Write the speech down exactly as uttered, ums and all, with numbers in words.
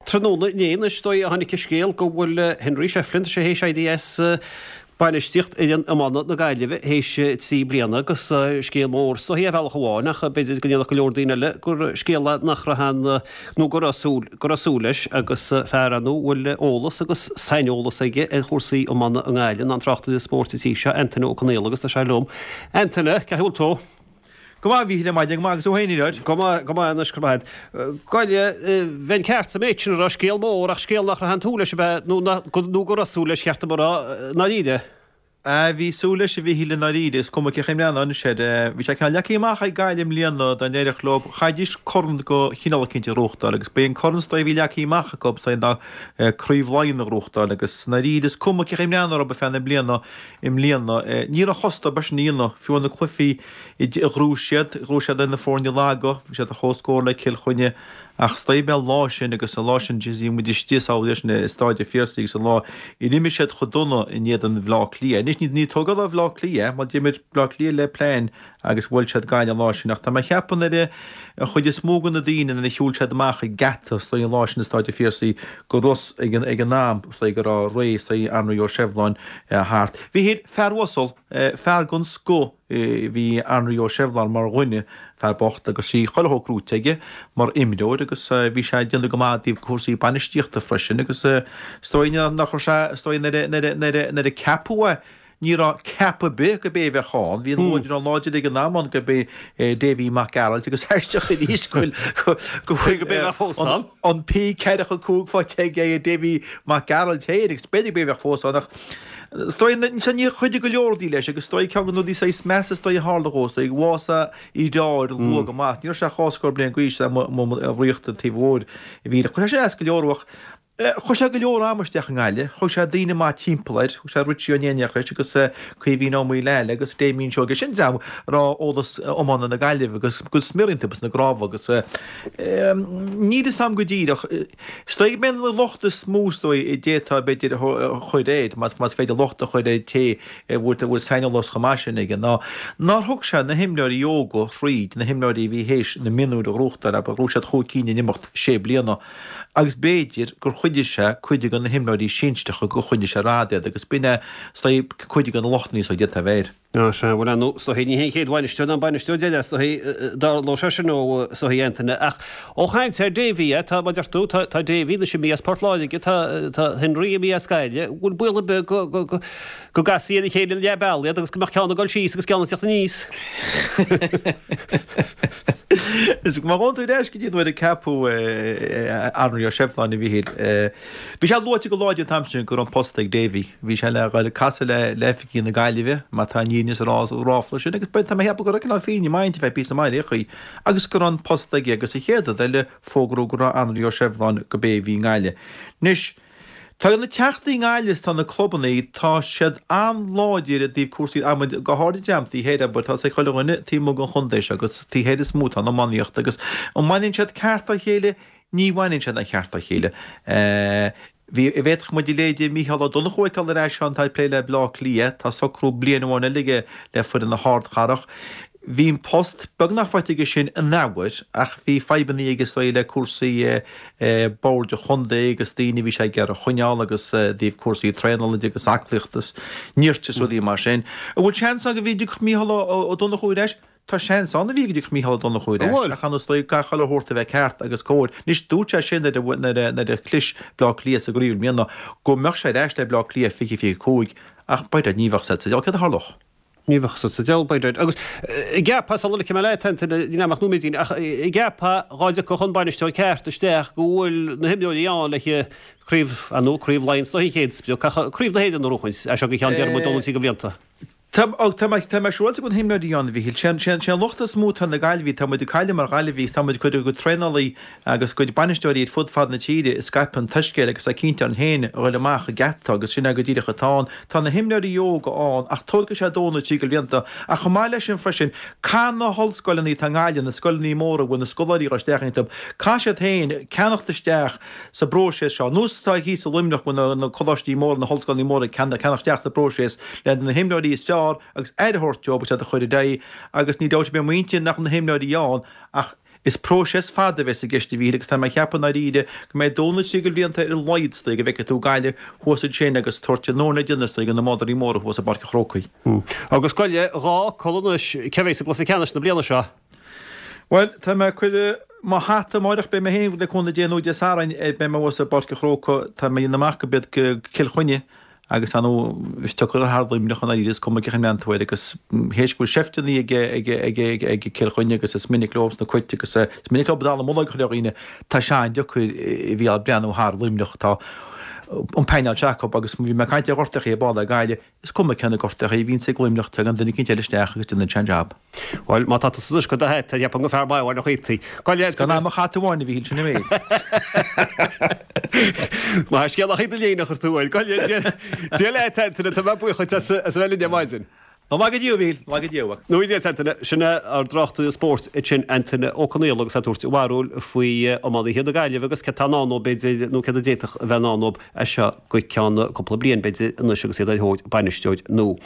Tráthnóna inné anois is dóigh a tháinig an scéal go bhfuil Henry Shefflin, tá sé théis éirí as bainistíocht fhoireann iomána na Gaillimhe théis trí bliana agus scéal mór is dóigh ar bhealach amháin ach b'fhéidir go ndéarfadh go leor daoine eile gur scéal é nach raibh an nó go raibh súil go raibh súil leis agus fear ar ndóigh a bhfuil eolas agus saineolas aige ar chúrsaí iomána i nGaillimh ná an tráchtaire spóirt sa tír seo Antaine Ó Conaola agus tá sé liom. Antaine, cén chaoi a bhfuil tú? Go maith, a Mhíchíl, ar maidin, go maith agus thú féin, a Fhir? Go maith, go maith anois, go maith. Gaillimh, bheinn ceart sa méid sin a rá, scéal mór ach scéal nach raibh aon tsúil leis ab ea, nó nó go raibh súil leis, cheart dom a rá, i ndáiríre. Ah, bhí súil leis, a Mhíchíl, i ndáiríre, is cuma cén chaoi a mbreathnófá anois air. Bhí sé cineál leagtha amach ag Gaillimh i mbliana dá n-éireodh leo, chaithfidís corn de chineál eicínt a ghnóthachtáil agus b'é an corn is dóigh a bhí leagtha amach acu is dóigh ná Craobh Laighean a ghnóthachtáil agus i ndáiríre is cuma cén chaoi a mbreathnófá orthu feadh na bliana i mbliana. Ní raibh chos dóibh sin a dhéanamh, fiú na cluichí a ghnóthaigh siad, ghnóthaigh siad ar na foirne laga, bhí siad ar comhscór le Cill Chainnigh ach is dóigh b'é an lá sin agus an lá sin bhí muid istigh sa leis i Stáid an Phiarsaigh agus an lá a d'imir siad chomh dona in éadan Bhaile Átha Cliath. Anois ní ní tógáil ar Bhaile Átha Cliath mar d'imir Baile Átha Cliath le plean agus bhuail siad Gaillimh an lá sin ach tá mé ag ceapadh nuair a an chuid is mó de na daoine nuair a shiúil siad amach an geata is dóigh an lá sin i Stáid an Phiarsaigh go raibh a fhios ag an ag an am is dóigh go raibh ré is dóigh Anraí Ó Sibhleáin thart. Bhí sé fear uasal, fear den scoth bhí Anraí Ó Sibhleáin mar dhuine, fear bocht agus bhí chuile shórt gnóite aige mar imreoir agus bhí sé ag déanamh go maith i dtaobh cúrsaí bainistíochta freisin agus is dóigh nach raibh sé, is dóigh nuair a, nuair a, nuair a, nuair a ceapadh é, ní raibh ceapadh ar bith gurb é a bheadh ann. Bhí an luaidreán láidir ag an am ann gurb é Davy Mac Gearailt agus aisteach arís go bhfuil, go bhfuil Gurb é a bheadh fós ann. an P ceathracha cúig faighte ag Davy Mac Gearailt féin agus b'fhéidir gurb é a bheadh fós ann ach Is dóigh, níor chuidigh go leor rudaí leis agus is dóigh ceann de na rudaí saghas measa is dóigh a tharla dhó, is dóigh bhásaigh a dheartháir luath go maith. Ní raibh sé ach dhá scór bliain d'aois i Ríocht an Taoibh Mhóir a bhí. Chuir sé sin as go leor ach chuir sé go leor ama isteach i nGaillimh. Thug sé daoine maith timpeall air, thug sé Richie Ó Néineach leis agus Caoimhín Ó Maoileaile agus Damien Seoige. Sin dream a raibh eolas iomána na Gaillimhe agus go smior iontu sna cnámha agus níl fhios a'm go díreach. Is dóigh gurb é an locht is mó is dóigh a d'fhéadfá b'fhéidir a chur air, más féidir locht a chur ar té a bhfuil saineolas chomh maith sin aige, ná nár thug sé na himreoirí óga thríd, na himreoirí a bhí théis na mionúir a ghnóthachtáil, abair, ghnóthaigh siad chúig cinn in imeacht sé bliana, agus b'fhéidir gur chuidigh sé cuid de na himreoirí sinsearacha gur choinnigh sé ar fad iad, agus b'in é, is dóigh, cuid de na lochtanna is dóigh a d'fhéadfá a bheith air. Á, sea, bhuel, ar ndóigh, is dóichí, ní hé an chéad bhainisteoir ná an bainisteoir deiridh, is dóichí, dtarlódh sé sin ó, is dóichí, Antaine. Ach ó chaint ar Davy, eh, tá, mar a deir tú, tá, tá Davy anois imithe as Port Láirge, tá, tá Henry imithe as Gaillimh, an bhfuil baol ar bith go, go, go, go gcasfaí ar a chéile leath bealaigh iad agus go mbeadh ceann ag dul síos agus ceann ag teacht aníos? Is má ghabhann tú ar ais go dtí nuair a ceapadh Anraí Ó Sibhleáin, a Mhíchíl, bhí sé luaite go láidir an t-am sin go raibh an post ag Davy. Bhí sé le dhul ag casadh le le oifigigh na Gaillimhe, má tá an fhírinne sa ráfla sin, agus tá mé ag ceapadh go raibh cineál fírinne maith inti feadh píosa maith ar aon chaoi, agus go raibh an post aige agus an chéad rud eile fógraíodh go raibh Anraí Ó Sibhleáin go b'é a bhí i nGaillimh. Anois, tá na teachtaí i nGaillimh is tá na clubanna, tá siad an-láidir i dtaobh cúrsaí adhmaid, go háirid an dream taobh thoir, abair, tá a fhios ag chuile dhuine taobh amuigh den chontae seo agus taobh thoir is mó atá an iománaíocht agus an mbaineann siad ceart dá chéile? Ní bhaineann siad an ceart dá chéile. Bhí, bhféadfadh muid a leithéide Mícheál Ó Donnchú a fheiceáil ar ais ann, tá ag plé le Bleá Cliath, tá socrú bliain amháin eile aige le foireann na hArdchathrach. Bhí an post beagnach faighte aige sin in athuair ach bhí fadhbanna aige is dóigh le cúrsaí boird an chontae agus daoine a bhí sé ag iarraidh a choinneáil agus i dtaobh cúrsaí traenála de agus aclaíochta is nirt is rudaí mar sin. An bhfuil seans ann go dtiocfadh Mícheál Ó Donnchú ar ais? Tá seans ann a bhí go dtiocfadh Mícheál Ó Donnchú ar ais, ach is dóigh caithfidh chuile shórt a bheith ceart agus cóir. Anois, dúirt sé sin nuair a chlis Bleá Cliath sa gcraobh i mbliana go mbeadh sé ar ais le Bleá Cliath fiche fiche cúig, ach by dad ní bheadh said sa diabhal céard a tharlódh. Ní bheadh said sa diabhal by dad. Agus an gceapfá, sula ligfidh mé leat, Antaine, níl a'm ach nóiméidín, ach an gceapfá dhá dtiocfadh an bainisteoir ceart isteach go bhfuil na himreoirí ann le craobh, ar ndóigh, craobh Laighean is dóichí an chéad sprioc, ach craobh na hÉireann a ghnóchaint, as seo go ceann déarfaidh muid dó nó trí de bhlianta. Tá, tá mé, tá mé siúráilte go bhfuil na himreoirí ann, a Mhíchíl. Sé an, sé an, sé an locht is mó atá ar na Gaillimhigh, tá muid ag cailleadh mar Ghaillimhigh is tá muid ag cur ar a gcuid traenálaí agus a gcuid bainisteoirí ar fud fad na tíre ag scaipeadh an tsoiscéil agus tá cinnte orainn féin a ghoil amach an geata agus sin é go díreach atá ann. Tá na himreoirí óga ann ach tógfaidh sé dó nó trí de bhlianta. Ach chomh maith leis sin freisin, caithfidh na hollscoileanna atá i nGaillimh, na scoileanna móra a bhfuil na scoláirí ag dul isteach iontu, caithfidh siad féin ceannacht isteach sa bpróiseas seo, nós atá thíos i Luimneach go bhfuil na coláistí móra, na hollscoileanna móra ag ceannacht isteach sa bpróiseas le na himreoirí is fearr agus aire a thabhairt dóibh agus iad a chur ar aghaidh agus ní dabht ar bith i m'intinn nach bhfuil na himreoirí ann ach Is próiseas fada a bheas i gceist a Mhíchíl agus tá mé ag ceapadh i ndáiríre go mbeidh dó nó trí de bhlianta ar a laghad is dóigh go bhfeicfidh tú Gaillimh thuas ansin agus tabhairt an nóin le déanamh is dóigh do na madraí móra thuas i bPáirc an Chrócaigh. Agus gabh i leith dhá codladh anois, cé a bheas i gcluiche ceannais na bliana seo? Bhuel, tá mé ag cur mo hata amáireach, beidh mé féin le cúnamh Dé nó Dé Sathairn, beidh mé thuas i bPáirc an Chrócaigh, tá mé ag déanamh amach go b'iad Cill Chainnigh Agus ar ndóigh, is deacair a thar Luimneach i ndáiríre, is cuma cén chaoi a mbreathnaíonn tú air agus théis go bhfuil seifteanna ag ag ag ag ag Cill Chainnigh agus is minic leo sna cait agus is minic leo dallamullóg a chur ar dhaoine, tá sé an-deacair a bheith ag breathnú thar Luimneach. Tá an painéal seo acu agus bhí mé ag caint ar ghortachaí ar ball le Gaillimh, is cuma cé na gortachaí a bhíonns ag Luimneach, tagann duine eicínt eile isteach agus déanann sé an jab. Bhuel, má tá tusa anois ag cur do hata, cheapfainn gur fear maith amháin a chuítaí. Is gan ach mo hata amháin a Mhíchíl, sin an méid. Maith an scéal ach iad a léine a chur tú uaidh. Gabh i leith, Dia leat, Antaine, tá mé buíoch duit as a bheith linn ar maidin. Go laga Dia, a Mhíchíl, go laga Dia uait. Go ngnóthaí Dia, Antaine. Sin é ár dtráchtaire spóirt ansin, Antaine Ó Conaola agus é ag tabhairt a bharúil faoi iománaithe na Gaillimhe agus céard atá i ndán dóibh, b'fhéidir, nó céard a d'fhéadfadh a bheith i ndán dóibh as seo go ceann cúpla bliain, b'fhéidir, anois agus iad ar thóir bainisteoir nua.